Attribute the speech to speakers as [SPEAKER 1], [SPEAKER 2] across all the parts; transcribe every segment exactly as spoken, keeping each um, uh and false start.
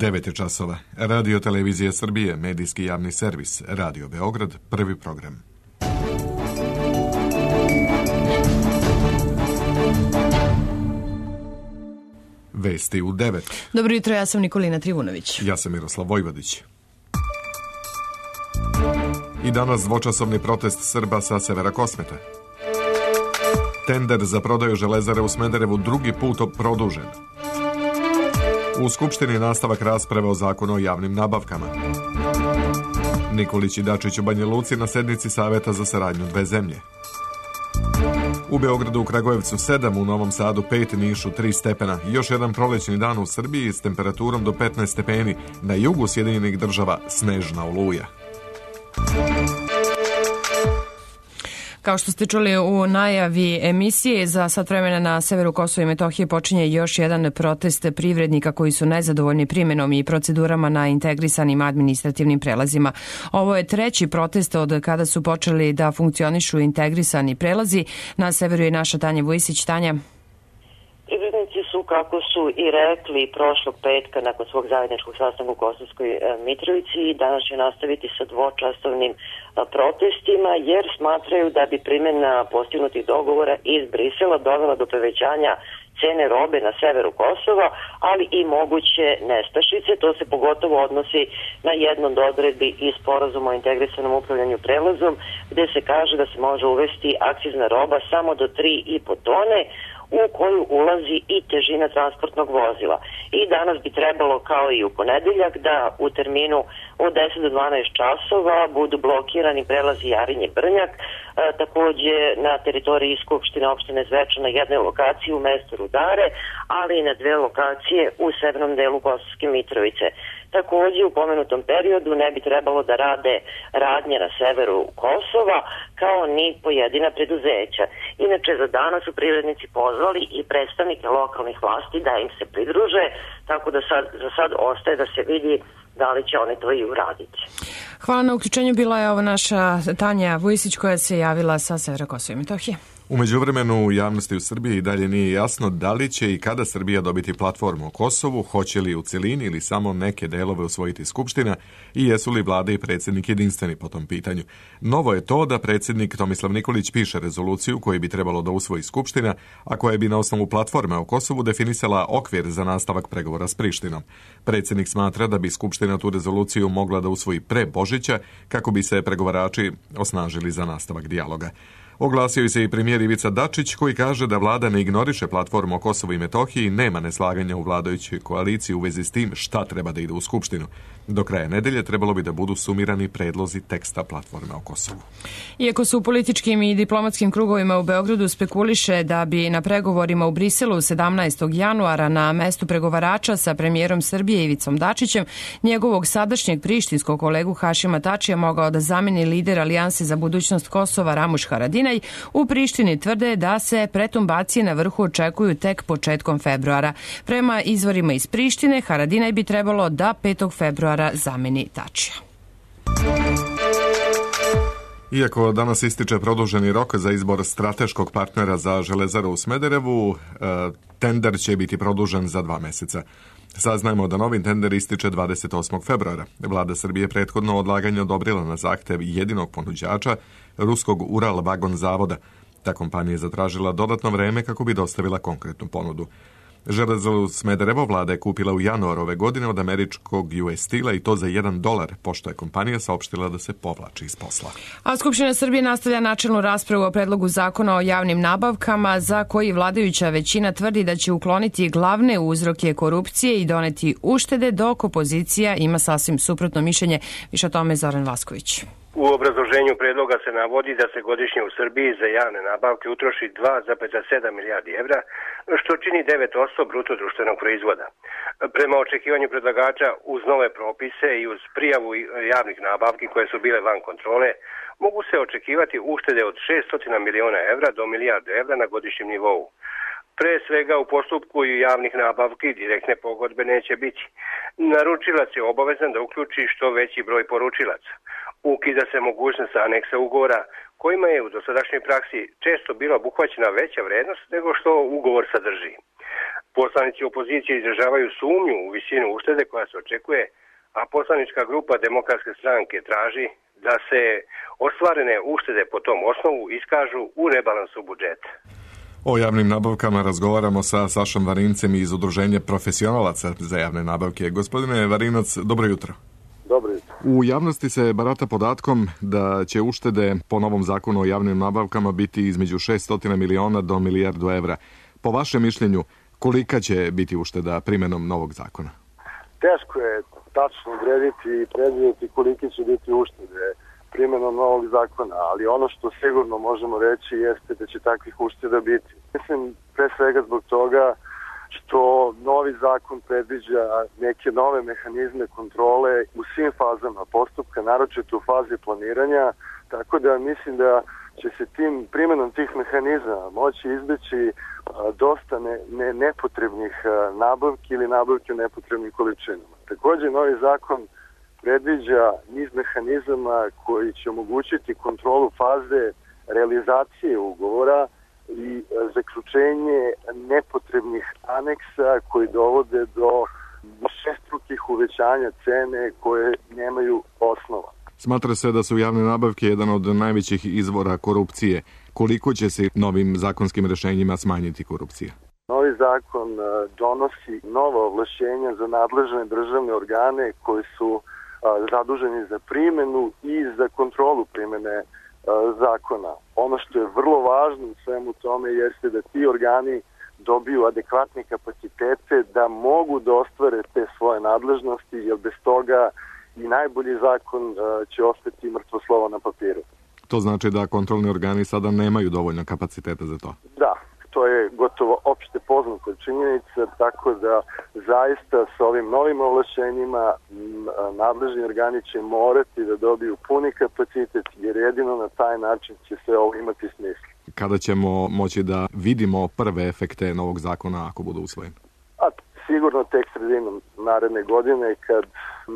[SPEAKER 1] devet je časova. Radio Televizija Srbije, medijski javni servis, Radio Beograd, prvi program. Vesti u devet.
[SPEAKER 2] Dobro jutro, ja sam Nikolina Trivunović.
[SPEAKER 1] Ja sam Miroslav Vojvodić. I danas dvočasovni protest Srba sa severa Kosmeta. Tender za prodaju Železare u Smederevu drugi put produžen. U Skupštini nastavak rasprave o zakonu o javnim nabavkama. Nikolić i Dačić u Banja Luci na sednici Saveta za saradnju dve zemlje. U Beogradu, u Kragujevcu sedam, u Novom Sadu pet, Nišu tri stepena. Još jedan prolećni dan u Srbiji s temperaturom do petnaest stepeni. Na jugu Sjedinjenih Država snežna oluja.
[SPEAKER 2] Kao što ste čuli u najavi emisije, za sat vremena na severu Kosova i Metohije počinje još jedan protest privrednika koji su nezadovoljni primjenom i procedurama na integrisanim administrativnim prelazima. Ovo je treći protest od kada su počeli da funkcionišu integrisani prelazi. Na severu je naša Tanja Vujisić. Tanja.
[SPEAKER 3] Privrednici su, kako su i rekli prošlog petka nakon svog zajedničkog sastanka u Kosovskoj Mitrovici, danas će nastaviti sa dvočasovnim protestima jer smatraju da bi primjena postignutih dogovora iz Brisela dovela do povećanja cene robe na severu Kosova, ali i moguće nestašice. To se pogotovo odnosi na jednu od odredbi iz sporazuma o integrisanom upravljanju prelazom, gde se kaže da se može uvesti akcizna roba samo do tri i po tone, u koju ulazi i težina transportnog vozila. I danas bi trebalo, kao i u ponedeljak, da u terminu od deset do dvanaest časova budu blokirani prelazi Jarinje Brnjak, e, takođe na teritoriji Skupštine opštine Zvečan na jednoj lokaciji u mestu Rudare, ali i na dve lokacije u severnom delu Kosovske Mitrovice. Takođe, u pomenutom periodu ne bi trebalo da rade radnje na severu Kosova, kao ni pojedina preduzeća. Inače, za danas su privrednici pozvali i predstavnike lokalnih vlasti da im se pridruže, tako da sad, za sad ostaje da se vidi da li će oni to i uraditi.
[SPEAKER 2] Hvala na uključenju. Bila je ovo naša Tanja Vujisić koja se javila sa severa Kosova i Metohije.
[SPEAKER 1] U međuvremenu u javnosti u Srbiji i dalje nije jasno da li će i kada Srbija dobiti platformu o Kosovu, hoće li u celini ili samo neke delove usvojiti Skupština i jesu li vlada i predsjednik jedinstveni po tom pitanju. Novo je to da predsjednik Tomislav Nikolić piše rezoluciju koju bi trebalo da usvoji Skupština, a koja bi na osnovu platforme o Kosovu definisala okvir za nastavak pregovora s Prištinom. Predsjednik smatra da bi Skupština tu rezoluciju mogla da usvoji pre Božića kako bi se pregovarači osnažili za nastavak dijaloga. Oglasio se i premijer Ivica Dačić koji kaže da vlada ne ignoriše platformu o Kosovu i Metohiji i nema neslaganja u vladajućoj koaliciji u vezi s tim šta treba da ide u Skupštinu. Do kraja nedelje trebalo bi da budu sumirani predlozi teksta platforme o Kosovu.
[SPEAKER 2] Iako su u političkim i diplomatskim krugovima u Beogradu spekuliše da bi na pregovorima u Briselu sedamnaestog januara na mestu pregovarača sa premijerom Srbije Ivicom Dačićem njegovog sadašnjeg prištinskog kolegu Hašima Tačija mogao da zameni lider Alijanse za budućnost Kosova Ramuš Haradinaj, u Prištini tvrde da se pretumbacije na vrhu očekuju tek početkom februara. Prema izvorima iz Prištine, Haradinaj bi trebalo da petog februara zameni Tačija.
[SPEAKER 1] Iako danas ističe produženi rok za izbor strateškog partnera za Železaru u Smederevu, tender će biti produžen za dva meseca. Saznajemo da novi tender ističe dvadeset osmog februara. Vlada Srbije prethodno odlaganje odobrila na zahtev jedinog ponuđača, ruskog Ural Vagon zavoda. Ta kompanija je zatražila dodatno vreme kako bi dostavila konkretnu ponudu. Železaru Smederevo vlada je kupila u januaru ove godine od američkog U S Steel-a i to za jedan dolar, pošto je kompanija saopštila da se povlači iz posla.
[SPEAKER 2] A Skupština Srbije nastavlja načelnu raspravu o predlogu zakona o javnim nabavkama za koji vladajuća većina tvrdi da će ukloniti glavne uzroke korupcije i doneti uštede, dok opozicija ima sasvim suprotno mišljenje. Više o tome Zoran Vasković.
[SPEAKER 4] U obrazloženju predloga se navodi da se godišnje u Srbiji za javne nabavke utroši dva zarez sedam milijardi evra, što čini devet posto bruto društvenog proizvoda. Prema očekivanju predlagača, uz nove propise i uz prijavu javnih nabavki koje su bile van kontrole, mogu se očekivati uštede od šessto miliona evra do milijardu evra na godišnjem nivou. Pre svega u postupku i javnih nabavki direktne pogodbe neće biti. Naručilac je obavezan da uključi što veći broj poručilaca. Ukida se mogućnost aneksa ugovora kojima je u dosadašnjoj praksi često bila obuhvaćena veća vrednost nego što ugovor sadrži. Poslanici opozicije izražavaju sumnju u visinu uštede koja se očekuje, a poslanička grupa Demokratske stranke traži da se ostvarene uštede po tom osnovu iskažu u rebalansu budžeta.
[SPEAKER 1] O javnim nabavkama razgovaramo sa Sašom Varincem iz Udruženja profesionalaca za javne nabavke. Gospodine Varinac, dobro jutro.
[SPEAKER 5] Dobro jutro.
[SPEAKER 1] U javnosti se barata podatkom da će uštede po novom zakonu o javnim nabavkama biti između šessto miliona do milijardu evra. Po vašem mišljenju, kolika će biti ušteda primjenom novog zakona?
[SPEAKER 5] Teško je tačno odrediti i predvidjeti koliki će biti uštede primjenom novog zakona, ali ono što sigurno možemo reći jeste da će takvih ušteda biti. Mislim pre svega zbog toga što novi zakon predviđa neke nove mehanizme kontrole u svim fazama postupka, naročito u fazi planiranja, tako da mislim da će se tim primjenom tih mehanizama moći izbeći dosta ne, ne, nepotrebnih nabavki ili nabavki u nepotrebnim količinama. Također novi zakon predviđa niz mehanizama koji će omogućiti kontrolu faze realizacije ugovora i zaključenje nepotrebnih aneksa koji dovode do šestrukih uvećanja cene koje nemaju osnova.
[SPEAKER 1] Smatra se da su javne nabavke jedan od najvećih izvora korupcije. Koliko će se novim zakonskim rešenjima smanjiti korupcija?
[SPEAKER 5] Novi zakon donosi nova ovlašćenja za nadležne državne organe koji su zaduženi za primjenu i za kontrolu primjene zakona. Ono što je vrlo važno u svemu tome jeste da ti organi dobiju adekvatne kapacitete da mogu da ostvare te svoje nadležnosti, jer bez toga i najbolji zakon će ostati mrtvo slovo na papiru.
[SPEAKER 1] To znači da kontrolni organi sada nemaju dovoljno kapaciteta za to?
[SPEAKER 5] Da, to je gotovo opšte poznata činjenica, tako da zaista sa ovim novim ovlašćenjima nadležni organi će morati da dobiju puni kapacitet, jer jedino na taj način će se ovo imati smisla.
[SPEAKER 1] Kada ćemo moći da vidimo prve efekte novog zakona ako budu usvojeni?
[SPEAKER 5] A sigurno tek sredinom naredne godine, kad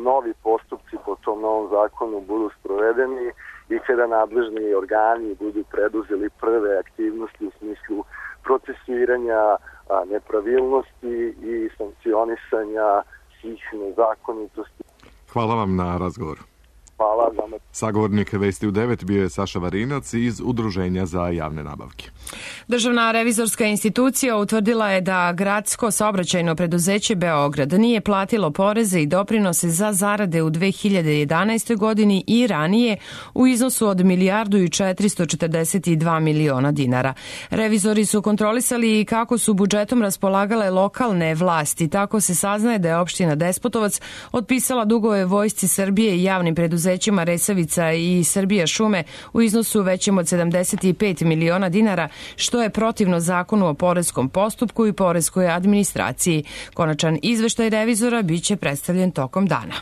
[SPEAKER 5] novi postupci po tom novom zakonu budu sprovedeni i kada nadležni organi budu preduzeli prve aktivnosti u smislu procesuiranja nepravilnosti i sankcionisanja svih nezakonitosti.
[SPEAKER 1] Hvala vam na razgovoru.
[SPEAKER 5] Hvala vam.
[SPEAKER 1] Sagovornik Vesti u devet bio je Saša Varinac iz Udruženja za javne nabavke.
[SPEAKER 2] Državna revizorska institucija utvrdila je da gradsko saobraćajno preduzeće Beograd nije platilo poreze i doprinose za zarade u dve hiljade jedanaestoj godini i ranije u iznosu od milijardu i četiristo četrdeset dva miliona dinara. Revizori su kontrolisali i kako su budžetom raspolagale lokalne vlasti. Tako se saznaje da je opština Despotovac otpisala dugove Vojsci Srbije i javnim preduzećima Resavica i Srbija šume u iznosu većem od sedamdeset pet miliona dinara, što je protivno zakonu o poreskom postupku i poreskoj administraciji. Konačan izveštaj revizora biće predstavljen tokom dana.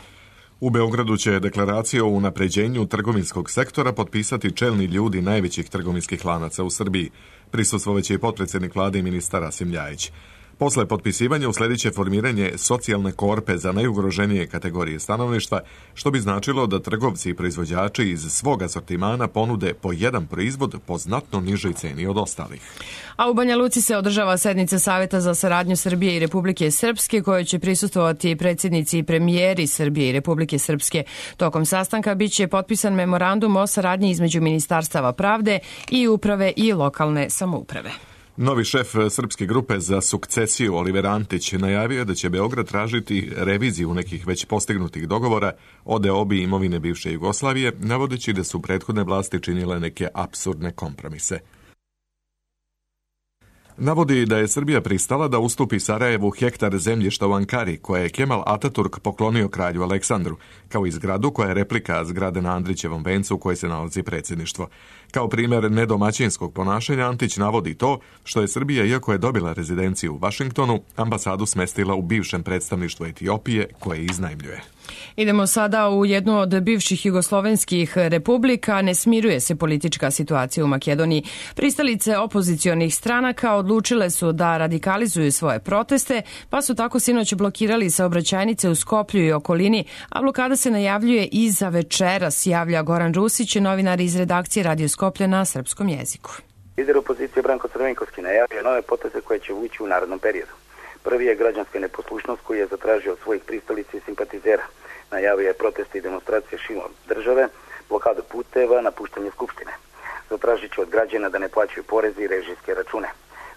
[SPEAKER 1] U Beogradu će deklaraciju o unapređenju trgovinskog sektora potpisati čelni ljudi najvećih trgovinskih lanaca u Srbiji. Prisustvovaće i potpredsjednik vlade i ministar Rasim Ljajić. Posle potpisivanja usledit će formiranje socijalne korpe za najugroženije kategorije stanovništva, što bi značilo da trgovci i proizvođači iz svog asortimana ponude po jedan proizvod po znatno nižoj ceni od ostalih.
[SPEAKER 2] A u Banja Luci se održava sednica Saveta za saradnju Srbije i Republike Srpske, kojoj će prisustvovati predsjednici i premijeri Srbije i Republike Srpske. Tokom sastanka biće potpisan memorandum o saradnji između Ministarstava pravde i uprave i lokalne samouprave.
[SPEAKER 1] Novi šef srpske grupe za sukcesiju Oliver Antić najavio je da će Beograd tražiti reviziju nekih već postignutih dogovora o deobi imovine bivše Jugoslavije, navodeći da su prethodne vlasti činile neke apsurdne kompromise. Navodi da je Srbija pristala da ustupi Sarajevu hektar zemljišta u Ankari, koje je Kemal Ataturk poklonio kralju Aleksandru, kao i zgradu koja je replika zgrade na Andrićevom vencu u kojoj se nalazi predsjedništvo. Kao primjer nedomaćinskog ponašanja Antić navodi to što je Srbija, iako je dobila rezidenciju u Vašingtonu, ambasadu smestila u bivšem predstavništvu Etiopije koje iznajmljuje.
[SPEAKER 2] Idemo sada u jednu od bivših jugoslovenskih republika. Ne smiruje se politička situacija u Makedoniji. Pristalice opozicionih stranaka odlučile su da radikalizuju svoje proteste, pa su tako sinoć blokirali saobraćajnice u Skoplju i okolini, a blokada se najavljuje i za večeras, javlja Goran Rusić, novinar iz redakcije Radio Skoplje na srpskom jeziku.
[SPEAKER 6] Lider opozicije Branko Crvenkovski najavio nove poteze koje će ući u narodnom periodu. Prvi je građanska neposlušnost koju je zatražio od svojih pristalica i simpatizera. Najavio je proteste i demonstracije širom države, blokadu puteva, napuštanje skupštine. Zatražit će od građana da ne plaćaju poreze i režijske račune.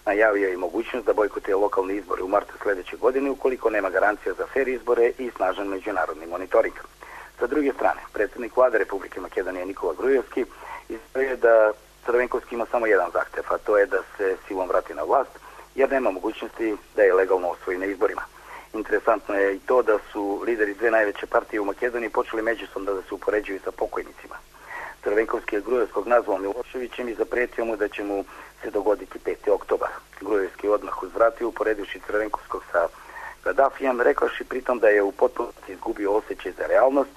[SPEAKER 6] Najavio je i mogućnost da bojkotuje lokalne izbore u martu sljedeće godine ukoliko nema garancija za fer izbore i snažan međunarodni monitoring. Sa druge strane, predsjednik vlade Republike Makedonije Nikola Grujevski izjavio je da Crvenkovski ima samo jedan zahtev, a to je da se silom vrati na vlast, jer nema mogućnosti da je legalno osvoji na izborima. Interesantno je i to da su lideri dve najveće partije u Makedoniji počeli međusobno da se upoređuju sa pokojnicima. Crvenkovski je Grujevskog nazvao Miloševićem i zapretio mu da će mu se dogoditi peti oktobar. Grujevski odmah uzvratio uporedivši Crvenkovskog sa Gaddafijem, rekavši pritom da je u potpunosti izgubio osjećaj za realnost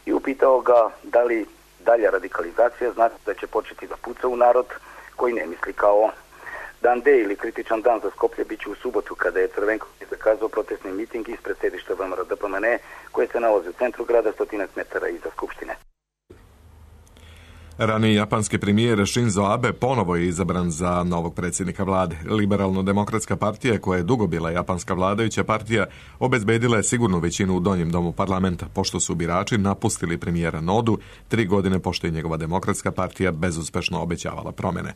[SPEAKER 6] i upitao ga da li dalja radikalizacija znači da će početi da puca u narod koji ne misli kao on. Dan D ili kritičan dan za Skoplje bit će u subotu kada je Crvenkovski zakazao protestni miting ispred sedišta V M R D P M N E koje se nalazi u centru grada stotinak metara iza Skupštine.
[SPEAKER 1] Raniji japanski premijer Shinzo Abe ponovo je izabran za novog predsjednika vlade. Liberalno-demokratska partija, koja je dugo bila japanska vladajuća partija, obezbedila je sigurnu većinu u donjem domu parlamenta, pošto su birači napustili premijera Nodu tri godine pošto je njegova demokratska partija bezuspešno obećavala promjene.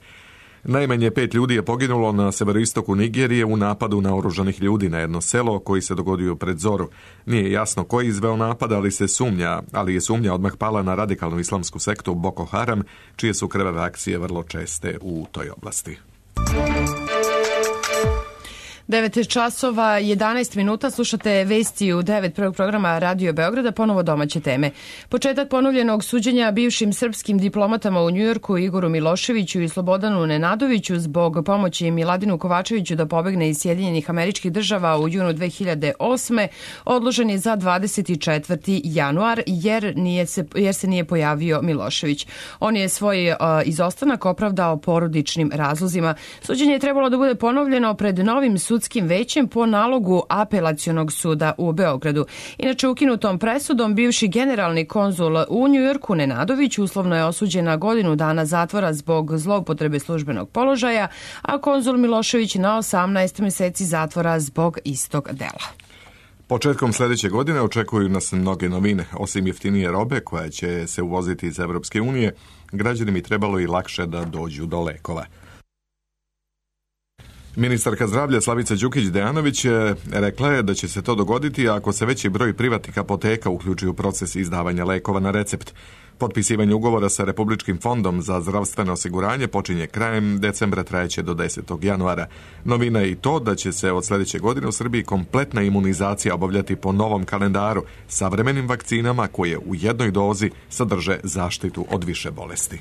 [SPEAKER 1] Najmanje pet ljudi je poginulo na severoistoku Nigerije u napadu naoružanih ljudi na jedno selo koji se dogodio pred zoru. Nije jasno ko je izveo napad, ali se sumnja, ali je sumnja odmah pala na radikalnu islamsku sektu Boko Haram, čije su krvave akcije vrlo česte u toj oblasti.
[SPEAKER 2] devet časova jedanaest minuta, slušate vesti u devet prvog programa Radio Beograda, ponovo domaće teme. Početak ponovljenog suđenja bivšim srpskim diplomatama u Njujorku Igoru Miloševiću i Slobodanu Nenadoviću zbog pomoći Miladinu Kovačeviću da pobegne iz Sjedinjenih Američkih Država u junu dve hiljade osme odložen je za dvadeset četvrti januar jer, nije se, jer se nije pojavio Milošević. On je svoj uh, izostanak opravdao porodičnim razlozima. Suđenje je trebalo da bude ponovljeno pred novim sudskim većem po nalogu Apelacionog suda u Beogradu. Inače, ukinutom presudom bivši generalni konzul u Njujorku Nenadović uslovno je osuđen na godinu dana zatvora zbog zloupotrebe službenog položaja, a konzul Milošević na osamnaest meseci zatvora zbog istog dela.
[SPEAKER 1] Početkom sljedeće godine očekuju nas mnoge novine. Osim jeftinije robe koja će se uvoziti iz Evropske unije, građani mi trebalo i lakše da dođu do lekova. Ministarka zdravlja Slavica Đukić-Dejanović rekla je da će se to dogoditi ako se veći broj privatnih apoteka uključi u proces izdavanja lekova na recept. Potpisivanje ugovora sa Republičkim fondom za zdravstveno osiguranje počinje krajem decembra, trajeće do desetog januara. Novina je i to da će se od sljedeće godine u Srbiji kompletna imunizacija obavljati po novom kalendaru, savremenim vakcinama koje u jednoj dozi sadrže zaštitu od više bolesti.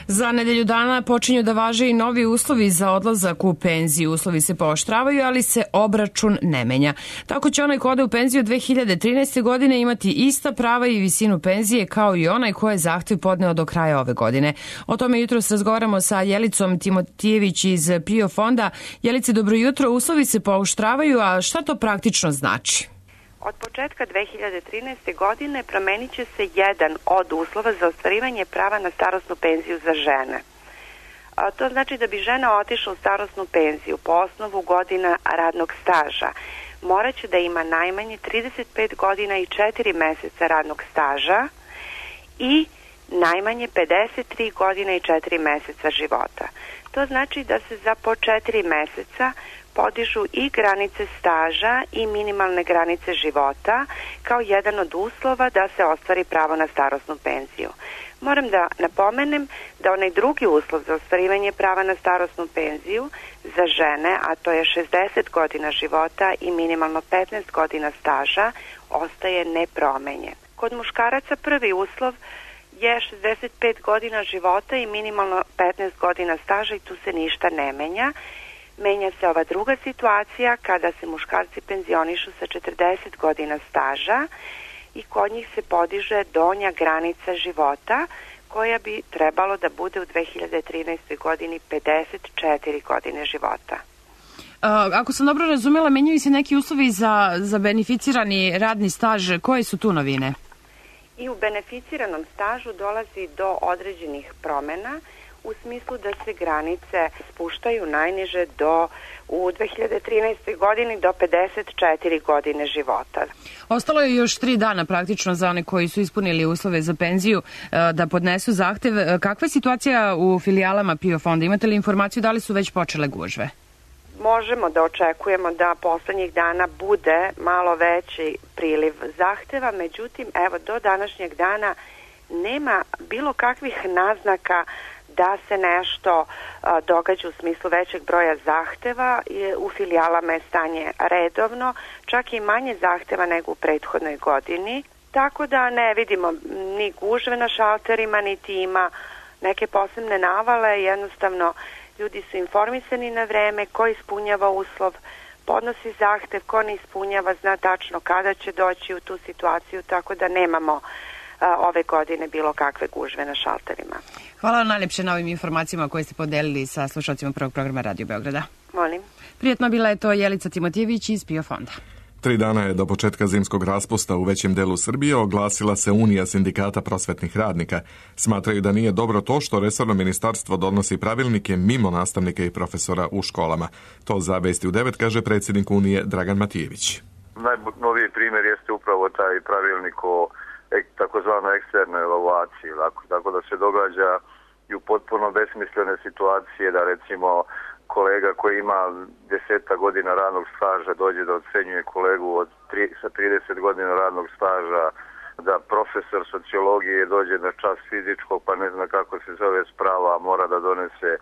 [SPEAKER 2] Za nedelju dana počinju da važe i novi uslovi za odlazak u penziju. Uslovi se pooštravaju, ali se obračun ne menja. Tako će onaj ko ode u penziju dve hiljade trinaeste. godine imati ista prava i visinu penzije kao i onaj ko je zahtev podneo do kraja ove godine. O tome jutros razgovaramo sa Jelicom Timotijević iz PIO fonda. Jelice, dobro jutro. Uslovi se pooštravaju, a šta to praktično znači?
[SPEAKER 7] Od početka dve hiljade trinaeste. godine promenit će se jedan od uslova za ostvarivanje prava na starosnu penziju za žene. A to znači da bi žena otišla u starosnu penziju po osnovu godina radnog staža. Moraće da ima najmanje trideset pet godina i četiri meseca radnog staža i najmanje pedeset tri godine i četiri meseca života. To znači da se za po četiri meseca podižu i granice staža i minimalne granice života kao jedan od uslova da se ostvari pravo na starosnu penziju. Moram da napomenem da onaj drugi uslov za ostvarivanje prava na starosnu penziju za žene, a to je šezdeset godina života i minimalno petnaest godina staža, ostaje nepromenjen. Kod muškaraca prvi uslov je šezdeset pet godina života i minimalno petnaest godina staža i tu se ništa ne menja. Menja se ova druga situacija kada se muškarci penzionišu sa četrdeset godina staža i kod njih se podiže donja granica života koja bi trebalo da bude u dve hiljade trinaestoj. godini pedeset četiri godine života.
[SPEAKER 2] A, ako sam dobro razumela, menjaju se neki uslovi za, za beneficirani radni staž. Koje su tu novine?
[SPEAKER 7] I u beneficiranom stažu dolazi do određenih promjena. u smislu da se granice spuštaju najniže do u dve hiljade trinaestoj godini do pedeset četiri godine života.
[SPEAKER 2] Ostalo je još tri dana praktično za one koji su ispunili uslove za penziju da podnesu zahtev. Kakva je situacija u filijalama PIO fonda? Imate li informaciju da li su već počele gužve?
[SPEAKER 7] Možemo da očekujemo da poslednjih dana bude malo veći priliv zahteva, međutim, evo, do današnjeg dana nema bilo kakvih naznaka da se nešto a, događa u smislu većeg broja zahteva. U filijalama je stanje redovno, čak i manje zahteva nego u prethodnoj godini, tako da ne vidimo ni gužve na šalterima, niti ima neke posebne navale. Jednostavno, ljudi su informisani na vreme, ko ispunjava uslov, podnosi zahtev, ko ne ispunjava, zna tačno kada će doći u tu situaciju, tako da nemamo a, ove godine bilo kakve gužve na šalterima.
[SPEAKER 2] Hvala vam najljepše na ovim informacijama koje ste podelili sa slušalcima prvog programa Radio Beograda.
[SPEAKER 7] Molim.
[SPEAKER 2] Prijetno, bila je to Jelica Timotijević iz PIO fonda.
[SPEAKER 1] Tri dana je do početka zimskog raspusta u većem delu Srbije oglasila se Unija sindikata prosvetnih radnika. Smatraju da nije dobro to što resorno ministarstvo donosi pravilnike mimo nastavnika i profesora u školama. To za Vesti u devet kaže predsjednik Unije Dragan Matijević.
[SPEAKER 8] Najnoviji primjer jeste upravo taj pravilnik o takozvanoj eksternoj evaluaciji, tako da se događa i u potpuno besmislene situacije da recimo kolega koji ima deseta godina radnog staža dođe da ocenjuje kolegu od tri, sa trideset godina radnog staža, da profesor sociologije dođe na čas fizičkog pa ne zna kako se zove sprava, a mora da donese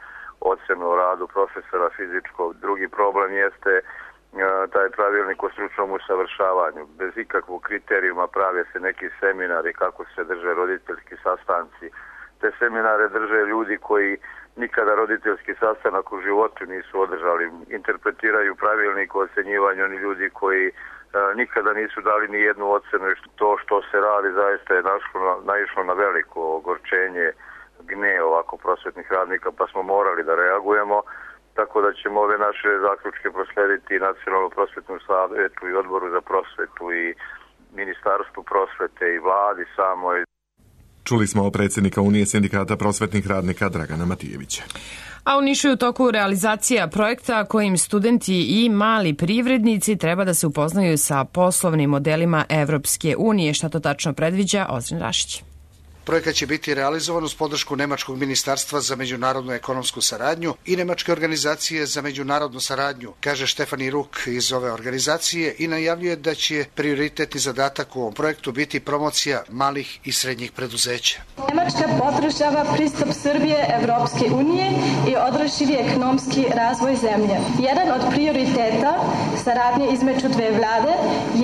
[SPEAKER 8] ocenu o radu profesora fizičkog. Drugi problem jeste taj pravilnik o stručnom usavršavanju. Bez ikakvog kriterijuma prave se neki seminari kako se drže roditeljski sastanci. Te seminare drže ljudi koji nikada roditeljski sastanak u životu nisu održali. Interpretiraju pravilnik o ocenjivanju oni ljudi koji e, nikada nisu dali ni jednu ocenu i to što se radi zaista je našlo, naišlo na veliko ogorčenje, gnev ovako prosvetnih radnika, pa smo morali da reagujemo, tako da ćemo ove naše zaključke proslediti Nacionalnom prosvetnom savetu i Odboru za prosvetu i Ministarstvu prosvete i vladi samoj.
[SPEAKER 1] Čuli smo predsjednika Unije sindikata prosvetnih radnika Dragana Matijevića.
[SPEAKER 2] A u Nišu je u toku realizacija projekta kojim studenti i mali privrednici treba da se upoznaju sa poslovnim modelima Evropske unije. Šta to tačno predviđa? Ozren Rašić.
[SPEAKER 9] Projekat će biti realizovan uz podršku Nemačkog ministarstva za međunarodnu ekonomsku saradnju i Nemačke organizacije za međunarodnu saradnju, kaže Štefani Ruk iz ove organizacije i najavljuje da će prioritetni zadatak u ovom projektu biti promocija malih i srednjih preduzeća.
[SPEAKER 10] Nemačka podržava pristup Srbije Evropske unije i održivi ekonomski razvoj zemlje. Jedan od prioriteta saradnje između dve vlade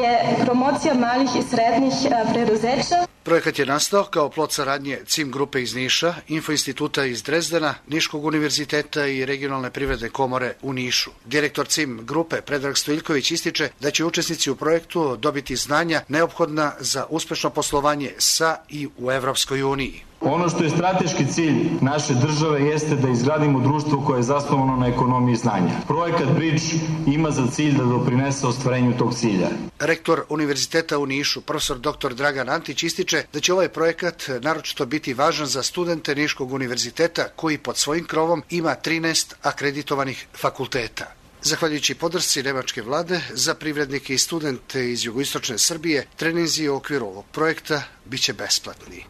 [SPEAKER 10] je promocija malih i srednjih preduzeća.
[SPEAKER 9] Projekat je nastao kao plod saradnje C I M grupe iz Niša, Info instituta iz Drezdena, Niškog univerziteta i regionalne privredne komore u Nišu. Direktor C I M grupe Predrag Stojiljković ističe da će učesnici u projektu dobiti znanja neophodna za uspešno poslovanje sa i u Evropskoj uniji.
[SPEAKER 11] Ono što je strateški cilj naše države jeste da izgradimo društvo koje je zasnovano na ekonomiji znanja. Projekat Bridge ima za cilj da doprinese ostvarenju tog cilja.
[SPEAKER 9] Rektor Univerziteta u Nišu, profesor doktor Dragan Antić, ističe da će ovaj projekat naročito biti važan za studente Niškog univerziteta koji pod svojim krovom ima trinaest akreditovanih fakulteta. Zahvaljujući podršci nemačke vlade za privrednike i studente iz jugoistočne Srbije, treninzi u okviru ovog projekta biće besplatni.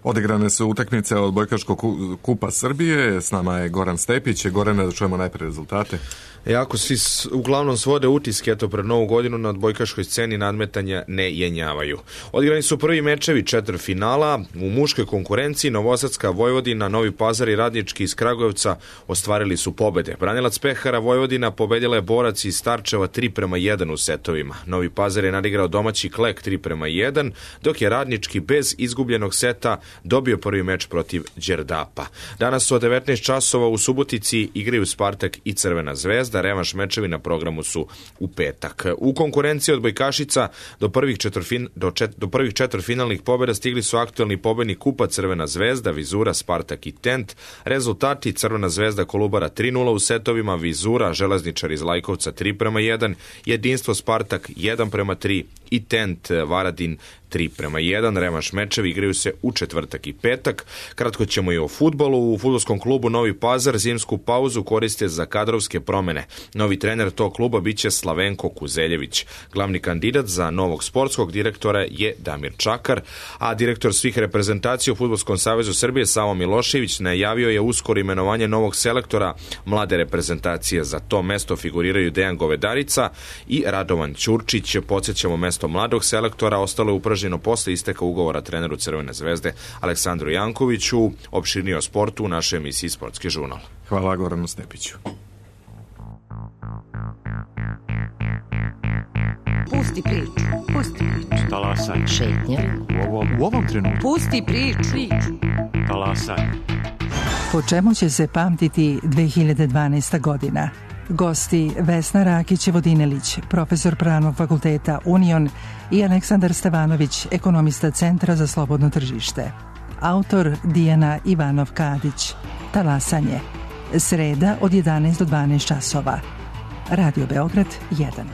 [SPEAKER 1] Odigrane su utakmice od Odbojkaškog kupa Srbije. S nama je Goran Stepić. Gorane, da čujemo najprije rezultate.
[SPEAKER 12] Jako svi uglavnom svode utiske, eto pred novu godinu na odbojkaškoj sceni nadmetanja ne jenjavaju. Odigrani su prvi mečevi četvrtfinala. U muškoj konkurenciji Novosadska Vojvodina, Novi Pazar i Radnički iz Kragujevca ostvarili su pobede. Branilac Pehara Vojvodina pobedila je Borac iz Starčeva tri prema jedan u setovima. Novi Pazar je nadigrao domaći Klek tri prema jedan, dok je Radnički bez izgubljenog seta dobio prvi meč protiv Đerdapa. Danas su od devetnaest časova u Subotici igraju Spartak i Crvena zvezda. Revanš mečevi na programu su u petak. U konkurenciji odbojkašica do prvih, četvrfin, do, čet, do prvih četvrtfinalnih pobjeda stigli su aktuelni pobednik kupa Crvena zvezda, Vizura, Spartak i Tent. Rezultati: Crvena zvezda Kolubara tri nula u setovima, Vizura, Železničar iz Lajkovca tri prema jedan, Jedinstvo Spartak jedan prema tri i Tent Varadin tri prema jedan. Revanš mečevi igraju se u četvrtak i petak. Kratko ćemo i o fudbalu. U fudbalskom klubu Novi Pazar zimsku pauzu koriste za kadrovske promene. Novi trener tog kluba biće Slavenko Kuzeljević. Glavni kandidat za novog sportskog direktora je Damir Čakar, a direktor svih reprezentacija u Fudbalskom savezu Srbije Savo Milošević najavio je uskoro imenovanje novog selektora mlade reprezentacije. Za to mesto figuriraju Dejan Govedarica i Radovan Ćurčić. Podsjećamo, mesto mladog selektora ostalo je upražnjeno posle isteka ugovora treneru Crvene zvezde Aleksandru Jankoviću. Opširnije o sportu u našoj emisiji Sportski žurnal.
[SPEAKER 1] Hvala Goranu Stepiću.
[SPEAKER 13] Pusti priču, pusti priču.
[SPEAKER 14] Talasaj.
[SPEAKER 13] Šetnja.
[SPEAKER 14] U ovom, u ovom trenutku.
[SPEAKER 13] Pusti priču.
[SPEAKER 14] Talasaj.
[SPEAKER 15] Po čemu će se pamtiti dve hiljade dvanaesta godina? Gosti Vesna Rakić-Vodinelić, profesor Pravnog fakulteta Union, i Aleksandar Stevanović, ekonomista Centra za slobodno tržište. Autor Dijana Ivanov-Kadić. Talasanje. Sreda od jedanaest do dvanaest časova. Radio Beograd jedan.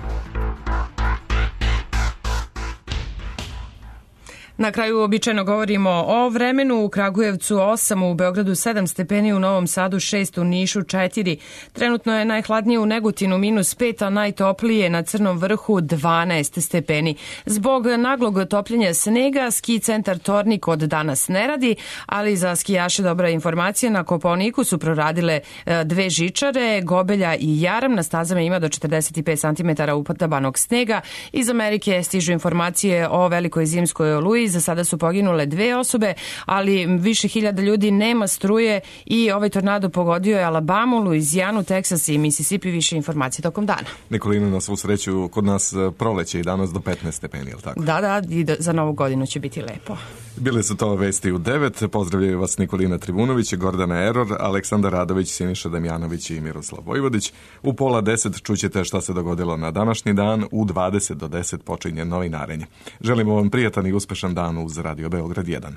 [SPEAKER 2] Na kraju običajno govorimo o vremenu. U Kragujevcu osam, u Beogradu sedam stepeni, u Novom Sadu šest, u Nišu četiri. Trenutno je najhladnije u Negotinu minus pet, a najtoplije na Crnom vrhu dvanaest stepeni. Zbog naglog topljenja snega ski centar Tornik od danas ne radi, ali za skijaše dobra informacija. Na Kopaoniku su proradile dve žičare, Gobelja i Jaram. Na stazama ima do četrdeset pet centimetara upadabanog snega. Iz Amerike stižu informacije o velikoj zimskoj oluji. Za sada su poginule dve osobe, ali više hiljada ljudi nema struje i ovaj tornado pogodio je Alabamu, Luizijanu, Teksas i Mississippi. Više informacije tokom dana.
[SPEAKER 1] Nikolina, na svu sreću, kod nas proleće i danas do petnaest stepeni, je li tako?
[SPEAKER 2] Da, da, i za novu godinu će biti lepo.
[SPEAKER 1] Bile su to vesti u devet. Pozdravljaju vas Nikolina Trivunović, Gordana Eror, Aleksandar Radović, Siniša Damjanović i Miroslav Vojvodić. U pola deset čućete šta se dogodilo na današnji dan. U dvadeset do deset počinje novinarenje. Želimo vam prijatan i uspešan dan uz Radio Beograd jedan.